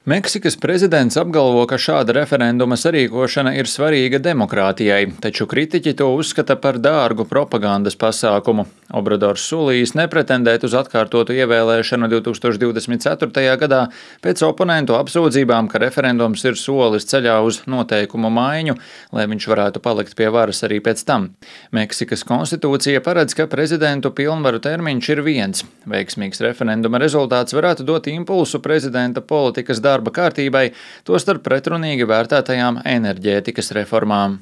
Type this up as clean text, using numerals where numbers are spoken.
Meksikas prezidents apgalvo, ka šāda referenduma sarīkošana ir svarīga demokrātijai, taču kritiķi to uzskata par dārgu propagandas pasākumu. Obradors solījis nepretendēt uz atkārtotu ievēlēšanu 2024. gadā pēc oponentu apsūdzībām, ka referendums ir solis ceļā uz noteikumu maiņu, lai viņš varētu palikt pie varas arī pēc tam. Meksikas konstitūcija paredz, ka prezidentu pilnvaru termiņš ir viens. Veiksmīgs referenduma rezultāts varētu dot impulsu prezidenta politikas darba kārtībai, tostarp pretrunīgi vērtētajām enerģētikas reformām.